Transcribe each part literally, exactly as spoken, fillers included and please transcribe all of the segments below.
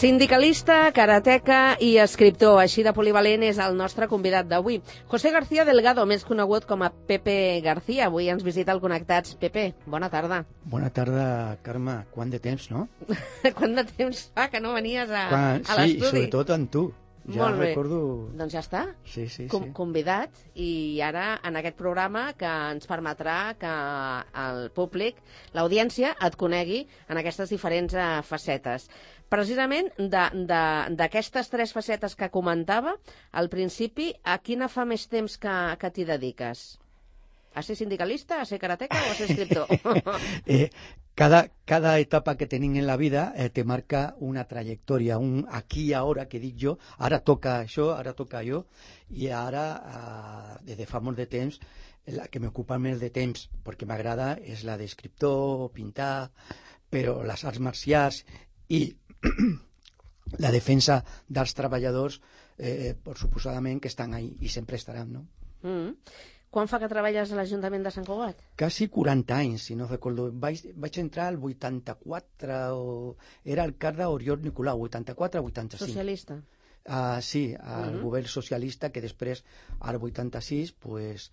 Sindicalista, karateca i escriptor, així de polivalent és el nostre convidat d'avui. José García Delgado, més conegut com a Pepe García. Avui ens visita al Connectats. Pepe, bona tarda. Bona tarda, Carme. Quant de temps, no? Quant de temps fa que no venies a, Quan... a l'estudi? Sí, sobretot amb tu. Ja Molt bé. Recordo... Doncs ja està. Sí, sí, Com sí. Convidat, i ara en aquest programa que ens permetrà que el públic, l'audiència, et conegui en aquestes diferents uh, facetes. Precisament d'aquestes tres facetes que comentava, al principi, a quina fa més temps que, que t'hi dediques? A ser sindicalista, a ser karateca o a ser escriptor? eh, cada, cada etapa que tenim en la vida eh, te marca una trajectòria, un aquí i ara que dic jo, ara toca això, ara toca jo, i ara, eh, des de fa molt de temps, la que m'ocupa més de temps, perquè m'agrada, és la d'escriptor, pintar, però les arts marcials i la defensa dels treballadors, eh, per suposadament que estan ahí i sempre estaran, no? Mm. Quan fa que treballes a l'Ajuntament de Sant Cugat? Quasi quaranta anys, si no recordo. Vaig, vaig entrar al vuitanta-quatre, o era alcalde Oriol Nicolau, vuitanta-quatre a vuitanta-cinc. Socialista? Uh, sí, al uh-huh. govern socialista, que després, al vuitanta-sis, pues,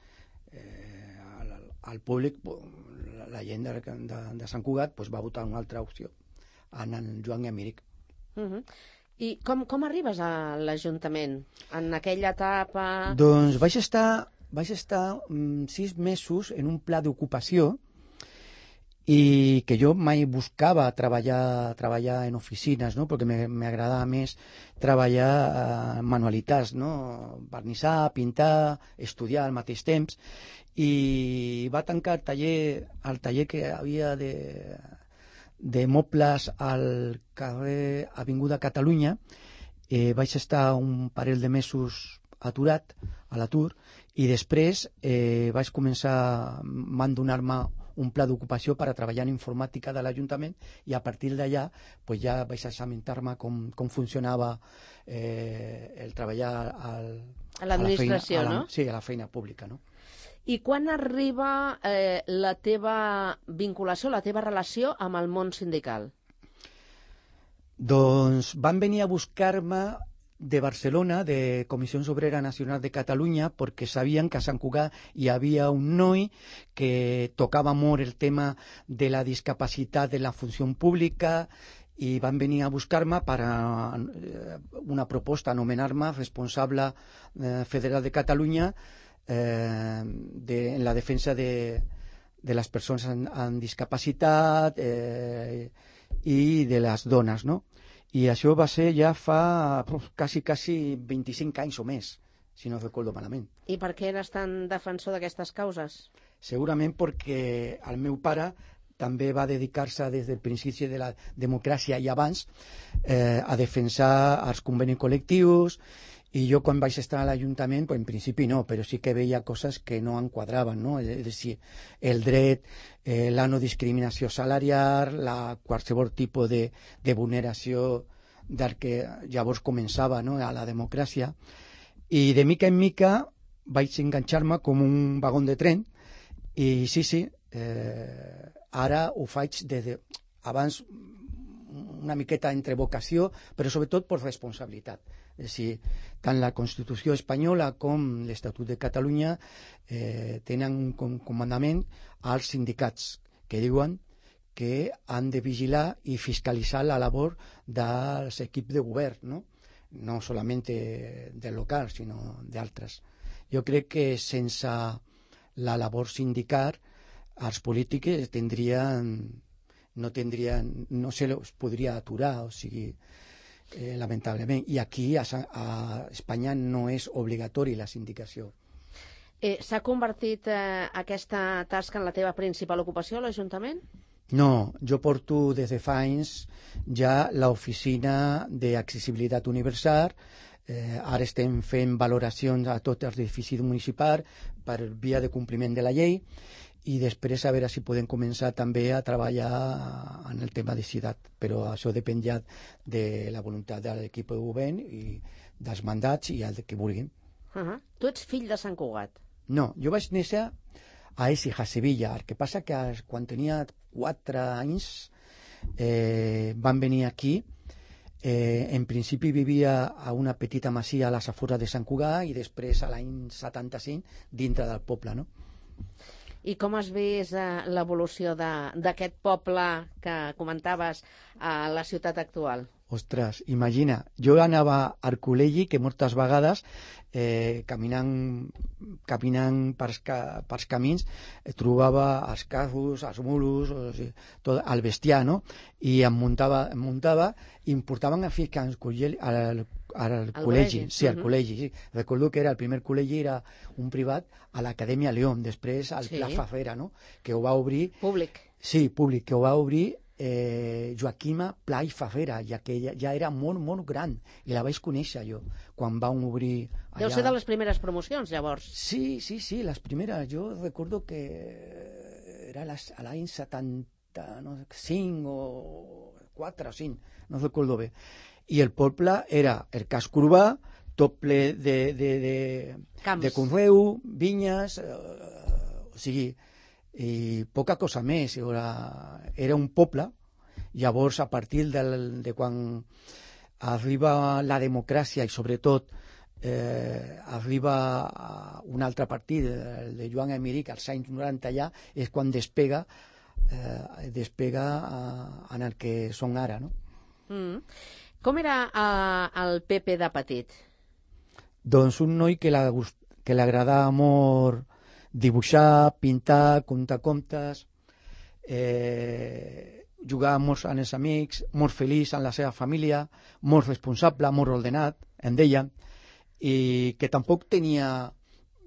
eh, al, al públic, la, la gent de, de, de Sant Cugat pues, va votar una altra opció, en el Joan Emíric. Uh-huh. I com, com arribes a l'Ajuntament en aquella etapa? Doncs vaig estar, vaig estar um, sis mesos en un pla d'ocupació i que jo mai buscava treballar, treballar en oficines, no? Perquè m'agradava més treballar uh, manualitats, no? Barnissar, pintar, estudiar al mateix temps, i va tancar el taller, el taller que havia de... de mobles al carrer Avinguda Catalunya. Eh, vaig estar un parell de mesos aturat, a l'atur, i després eh, vaig començar, van donar-me un pla d'ocupació per a treballar en informàtica de l'Ajuntament, i a partir d'allà pues, ja vaig assabentar-me com, com funcionava eh, el treballar al, a l'administració, no? Sí, a la feina pública, no? I quan arriba eh, la teva vinculació, la teva relació amb el món sindical? Doncs van venir a buscar-me de Barcelona, de Comissions Obreres Nacionals de Catalunya, perquè sabien que a Sant Cugat hi havia un noi que tocava molt el tema de la discapacitat de la funció pública, i van venir a buscar-me per a una proposta, anomenar-me responsable eh, federal de Catalunya eh, de, en la defensa de, de les persones amb, amb discapacitat eh, i de les dones, no? I això va ser ja fa uf, quasi, quasi vint-i-cinc anys o més, si no recordo malament. I per què eres tan defensor d'aquestes causes? Segurament perquè el meu pare també va dedicar-se des del principi de la democràcia i abans eh, a defensar els convenis col·lectius, i jo quan vaig estar a l'Ajuntament, pues, en principi no, però sí que veia coses que no enquadraven, no? És a dir, el dret, eh, la no discriminació salarial, la, qualsevol tipus de, de vulneració del que llavors començava, no? A la democràcia, i de mica en mica vaig enganxar-me com un vagó de tren, i sí, sí, eh, ara ho faig des de... abans una miqueta entre vocació, però sobretot per responsabilitat. És a dir, tant la Constitució espanyola com l'Estatut de Catalunya eh, tenen un com comandament als sindicats que diuen que han de vigilar i fiscalitzar la labor dels equips de govern, no? No solament del local, sinó d'altres. Jo crec que sense la labor sindical els polítics tindrien, no tindrien, no se los podria aturar, o sigui, eh, lamentablement. I aquí a, a Espanya no és obligatori la sindicació. Eh, S'ha convertit eh, aquesta tasca en la teva principal ocupació a l'Ajuntament? No, jo porto des de fa anys ja l'oficina d'accessibilitat universal. Eh, ara estem fent valoracions a tots els edificis municipals per via de compliment de la llei, i després a veure si podem començar també a treballar en el tema de ciutat, però això depèn ja de la voluntat de l'equip de govern i dels mandats i el que vulguin. Uh -huh. Tu ets fill de Sant Cugat? No, jo vaig néixer a Écija, a Sevilla. El que passa que quan tenia quatre anys eh, van venir aquí Eh, en principi vivia a una petita masia a les afores de Sant Cugat i després a l'any setanta-cinc dintre del poble, no? I com has vist eh, l'evolució d'aquest poble que comentaves a la ciutat actual? Ostres, imagina, jo anava al col·legi que moltes vegades eh, caminant, caminant pels, ca, pels camins eh, trobava els carros, els mulos, o sigui, tot, el bestiar, no? I em muntava, em muntava i em portaven a ficar al, al, al col·legi. Sí, al uh -huh. col·legi, sí. Recordo que era el primer col·legi, era un privat a l'Acadèmia León, després al sí. Pla Fafera, no? Que ho va obrir... Públic. Sí, públic, que ho va obrir Eh, Joaquima Pla i Fafera, ja que ella ja era molt, molt gran, i la vaig conèixer jo, quan van obrir allà. Deu ser de les primeres promocions, llavors. Sí, sí, sí, les primeres. Jo recordo que era a l'any setanta-cinc o quatre o cinc, no recordo bé. I el poble era el casc urbà, tot ple de, de, de, de conreu, vinyes, eh, o sigui... i poca cosa més. Era, era un poble. Llavors, a partir del, de quan arriba la democràcia i sobretot eh, arriba un altre partit, el de Joan Emeric, als anys noranta ja, és quan despega eh, despega en el que són ara, no? Mm. Com era eh, el P P de petit? Doncs un noi que l'agradava molt dibuixar, pintar, contar contes, eh, jugar molt amb els amics, molt feliç amb la seva família, molt responsable, molt ordenat, em deia, i que tampoc tenia,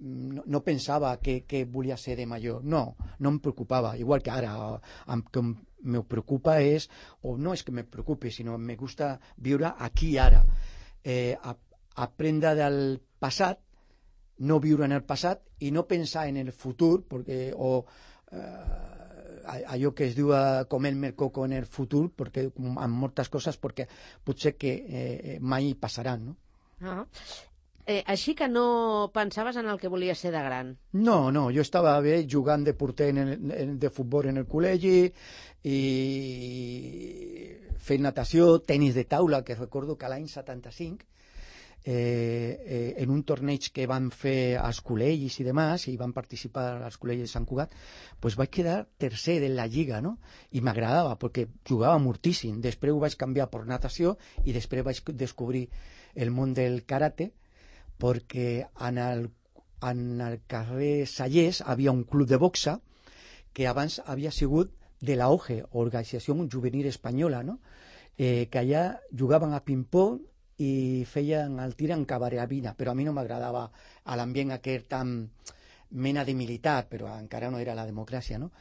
no, no pensava que, que volia ser de major, no, no em preocupava, igual que ara, el que me preocupa és, o no és que me preocupi, sinó me gusta viure aquí i ara, eh, aprendre del passat, no viure en el passat i no pensar en el futur, perquè, o eh, allò que es diu comer-me el coco en el futur, perquè, amb moltes coses, perquè potser que eh, mai passaran, no? Ah. Eh, així que no pensaves en el que volies ser de gran? No, no, jo estava bé jugant de porter en el, en, de futbol en el col·legi i fent natació, tenis de taula, que recordo que l'any setanta-cinc Eh, eh, en un torneig que van fer als col·legis i demás, i van participar als col·legis de Sant Cugat, pues vaig quedar tercer de la lliga, no? I m'agradava perquè jugava moltíssim. Després ho vaig canviar per natació i després vaig descobrir el món del karate, perquè en el, en el carrer Sallés havia un club de boxa que abans havia sigut de la O G E, Organització Juvenil Espanyola, no? Eh, que allà jugaven a ping-pong i feien el tir en carabina, però a mi no m'agradava l'ambient aquest tan mena de militar, però encara no era la democràcia, no?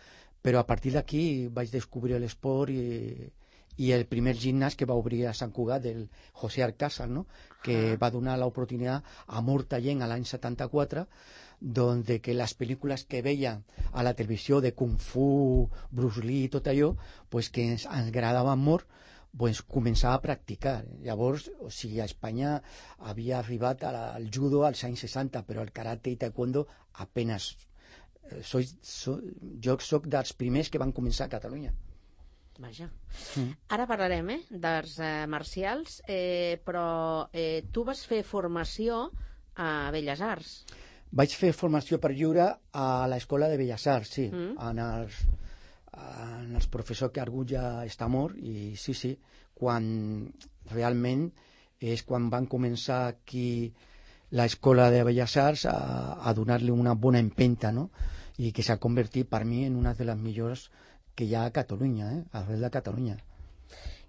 Però a partir d'aquí vaig descobrir l'esport i, i el primer gimnàs que va obrir a Sant Cugat, del José Arcázar, no? Que va donar l'oportunitat a molta gent a l'any setanta-quatre, doncs de que les pel·lícules que veien a la televisió de Kung Fu, Bruce Lee i tot allò, pues que ens agradaven molt, pues, començar a practicar. Llavors, o sigui, a Espanya havia arribat al judo als anys seixanta, però el karate i taekwondo apenas. Soy, so, jo soc dels primers que van començar a Catalunya. Vaja. Mm. Ara parlarem eh, d'arts eh, marcials, eh, però eh, tu vas fer formació a Belles Arts. Vaig fer formació per lliure a l'Escola de Belles Arts, sí, mm. en els... en els professors que algú ja està mort, i sí, sí, quan realment és quan van començar aquí l'Escola de Belles Arts a, a donar-li una bona empenta, no? I que s'ha convertit per mi en una de les millors que hi ha a Catalunya, eh? Arrel de Catalunya.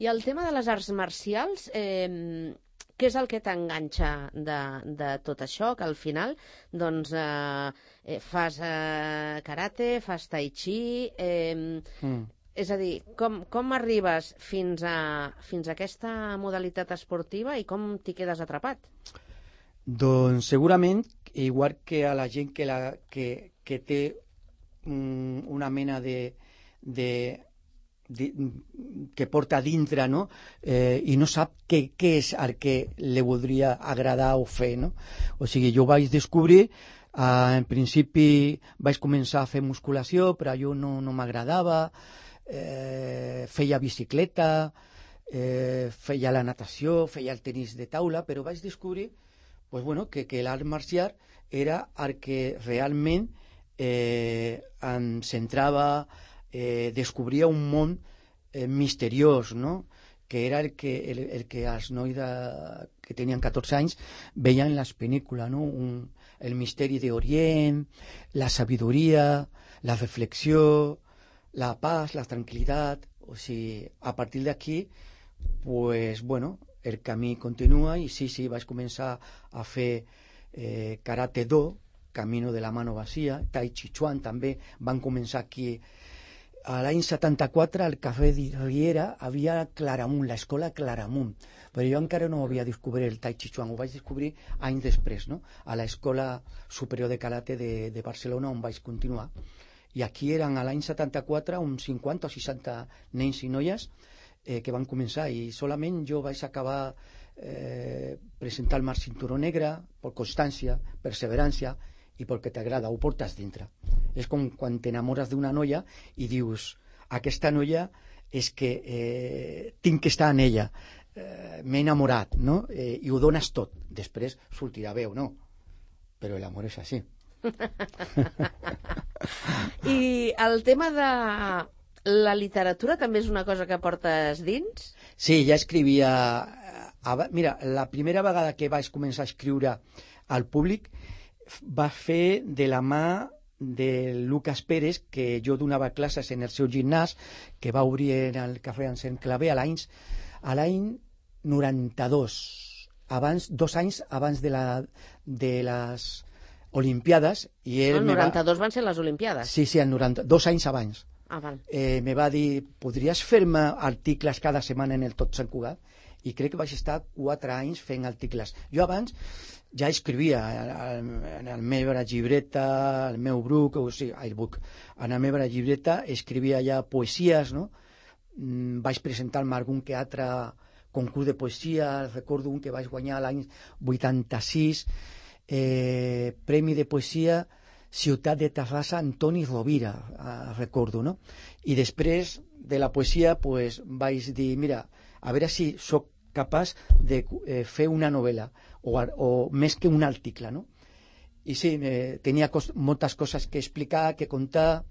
I el tema de les arts marcials, eh, què és el que t'enganxa de, de tot això? Que al final doncs, eh, fas eh, karate, fas tai chi... Eh, mm. És a dir, com, com arribes fins a, fins a aquesta modalitat esportiva i com t'hi quedes atrapat? Doncs segurament, igual que a la gent que, la, que, que té um, una mena de... de que porta dintre, no? Eh, i no sap què, què és el que li voldria agradar o fer, no? O sigui, jo vaig descobrir, eh, en principi vaig començar a fer musculació, però jo no, no m'agradava, eh, feia bicicleta, eh, feia la natació, feia el tenis de taula, però vaig descobrir pues, bueno, que, que l'art marcial era el que realment eh, em centrava, eh, descobria un món eh, misteriós, no? Que era el que, el, el que els nois de, que tenien catorze anys veien en les pel·lícules, no? Un, el misteri d'Orient, la sabidoria, la reflexió, la paz, la tranquil·litat. O sigui, a partir d'aquí, pues, bueno, el camí continua i sí, sí, vaig començar a fer eh, karate do, camino de la mano vacía, tai chi chuan també, van començar aquí. A l'any setanta-quatre al Cafè de Riera havia Claramunt, l'escola Claramunt, però jo encara no havia descobert el Tai Chi Chuan, ho vaig descobrir anys després, no? A l'Escola Superior de Karate de, de Barcelona, on vaig continuar. I aquí eren a l'any setanta-quatre uns cinquanta o seixanta nens i noies eh, que van començar, i solament jo vaig acabar eh, presentar el Mar Cinturó Negre per constància, perseverància, i perquè t'agrada, ho portes dintre. És com quan t'enamores d'una noia i dius, aquesta noia és que eh, tinc que estar en ella, eh, m'he enamorat, no? Eh, i ho dones tot, després sortirà bé o no, però l'amor és així. I el tema de la literatura també és una cosa que portes dins? Sí, ja escrivia... Mira, la primera vegada que vaig començar a escriure al públic va fer de la mà de Lucas Pérez, que jo donava classes en el seu gimnàs, que va obrir en el Cafè Ancén Clavé a l'any a l'any noranta-dos, abans, dos anys abans de, la, de les Olimpiades. I ell el noranta-dos va... van ser les Olimpiades? Sí, sí, el noranta, dos anys abans. Ah, val. Eh, me va dir, podries fer-me articles cada setmana en el Tot Sant Cugat? I crec que vaig estar quatre anys fent articles. Jo abans ja escrivia en la meva llibreta, el meu bruc, o sigui, el buc, en la meva llibreta escrivia ja poesies, no? Vaig presentar-me algun que altre concurs de poesia, recordo un que vaig guanyar l'any vuitanta-sis, eh, Premi de Poesia Ciutat de Terrassa Antoni Rovira, eh, recordo, no? I després de la poesia pues, vaig dir, mira, a veure si sóc capaç de eh, fer una novel·la o, o més que un article, no? I sí, eh, tenia cos moltes coses que explicar, que contar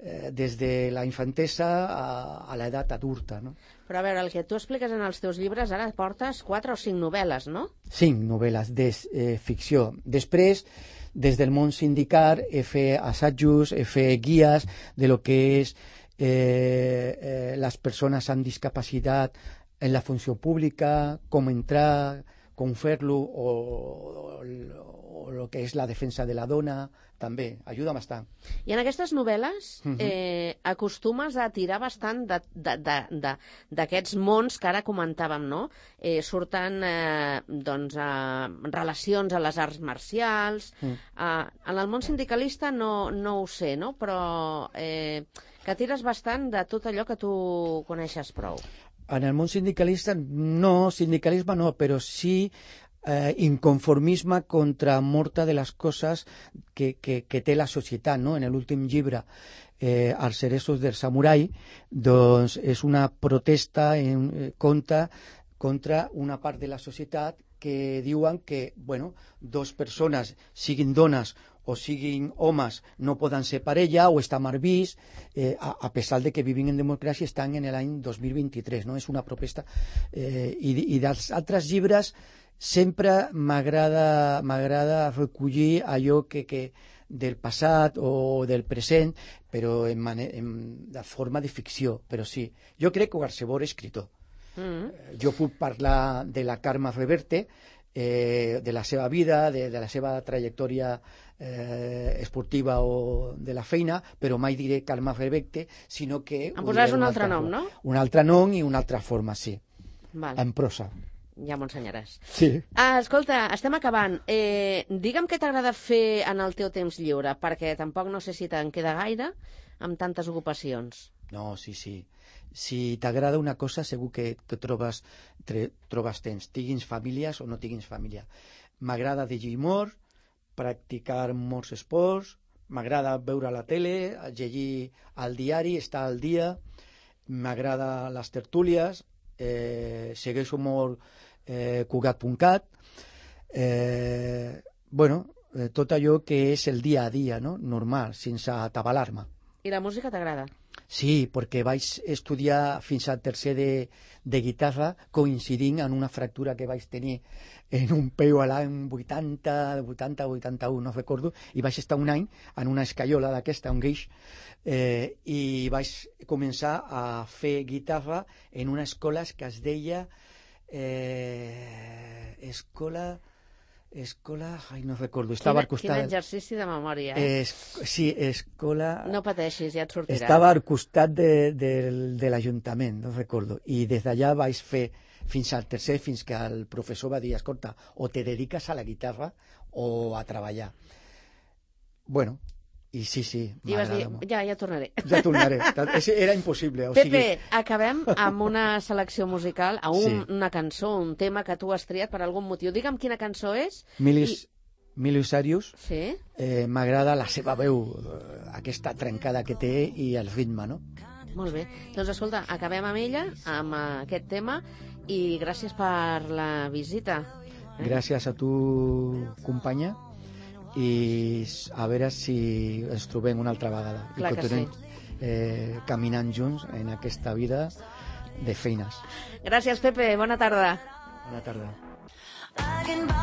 eh, des de la infantesa a, a l'edat adulta, no? Però a veure, el que tu expliques en els teus llibres, ara portes quatre o cinc novel·les, no? Cinc novel·les de eh, ficció. Després, des del món sindical, he fet assajos, he fet guies de lo que és eh, eh, les persones amb discapacitat en la funció pública, com entrar, com fer-lo, o, o, o el que és la defensa de la dona, també, ajuda bastant. I en aquestes novel·les uh-huh. eh, acostumes a tirar bastant d'aquests mons que ara comentàvem, no? Eh, surten eh, doncs, eh, relacions a les arts marcials. Uh-huh. eh, en el món sindicalista no, no ho sé, no? Però eh, que tires bastant de tot allò que tu coneixes prou. En el món sindicalista, no, sindicalisme no, però sí eh, inconformisme contra moltes de les coses que, que, que té la societat, no? En l'últim llibre, eh, Els ceresos del samurai, doncs és una protesta en eh, contra, contra una part de la societat que diuen que, bueno, dos persones, siguin dones o siguin homes, no poden ser parella o està mal vist, eh, a, a pesar de que vivim en democràcia, estan en l'any dos mil vint-i-tres, no? És una protesta. Eh, i, I dels altres llibres sempre m'agrada m'agrada recollir allò que, que del passat o del present, però en, en, de forma de ficció. Però sí, jo crec que qualsevol escritor. Mm-hmm. Jo puc parlar de la Carme Reverte, eh, de la seva vida, de, de la seva trajectòria eh, esportiva o de la feina, però mai diré Carme Reverte, sinó que... Em posaràs un altre nom, no? Un altre nom i una altra forma, sí. Val. En prosa. Ja m'ho ensenyaràs. Sí. Ah, escolta, estem acabant. Eh, digue'm què t'agrada fer en el teu temps lliure, perquè tampoc no sé si te'n queda gaire amb tantes ocupacions. No, sí, sí. Si t'agrada una cosa, segur que, que trobes, tre, trobes temps, tinguis famílies o no tinguis família. M'agrada llegir molt, practicar molts esports, m'agrada veure la tele, llegir al diari, estar al dia, m'agrada les tertúlies, eh, segueixo molt eh, cugat punt cat, eh, bueno, eh, tot allò que és el dia a dia, no? Normal, sense atabalar-me. I la música t'agrada? Sí, perquè vaig estudiar fins al tercer de, de guitarra coincidint en una fractura que vaig tenir en un peu a l'any vuitanta, vuitanta, vuitanta-u, no recordo, i vaig estar un any en una escaiola d'aquesta, un guix, eh, i vaig començar a fer guitarra en una escola que es deia eh, Escola... Escola... Ai, no recordo. Estava quin, al costat... Quin exercici de memòria, eh? Es, sí, escola... No pateixis, ja et sortirà. Estava al costat de, de, de l'Ajuntament, no recordo. I des d'allà vaig fer fins al tercer, fins que el professor va dir, escolta, o te dediques a la guitarra o a treballar. Bueno, i sí, sí, I vas dir, molt. ja, ja tornaré. Ja tornaré. Era impossible. O Pepe, sigui... acabem amb una selecció musical, a un, Sí. una cançó, un tema que tu has triat per algun motiu. Digue'm quina cançó és. Milis, I... Milius Arius, Sí? eh, m'agrada la seva veu, eh, aquesta trencada que té i el ritme, no? Molt bé. Doncs escolta, acabem amb ella, amb aquest tema, i gràcies per la visita. Eh? Gràcies a tu, companya, i a veure si ens trobem una altra vegada. Clar I que continuem eh, caminant junts en aquesta vida de feines. Gràcies, Pepe. Bona tarda. Bona tarda. I can buy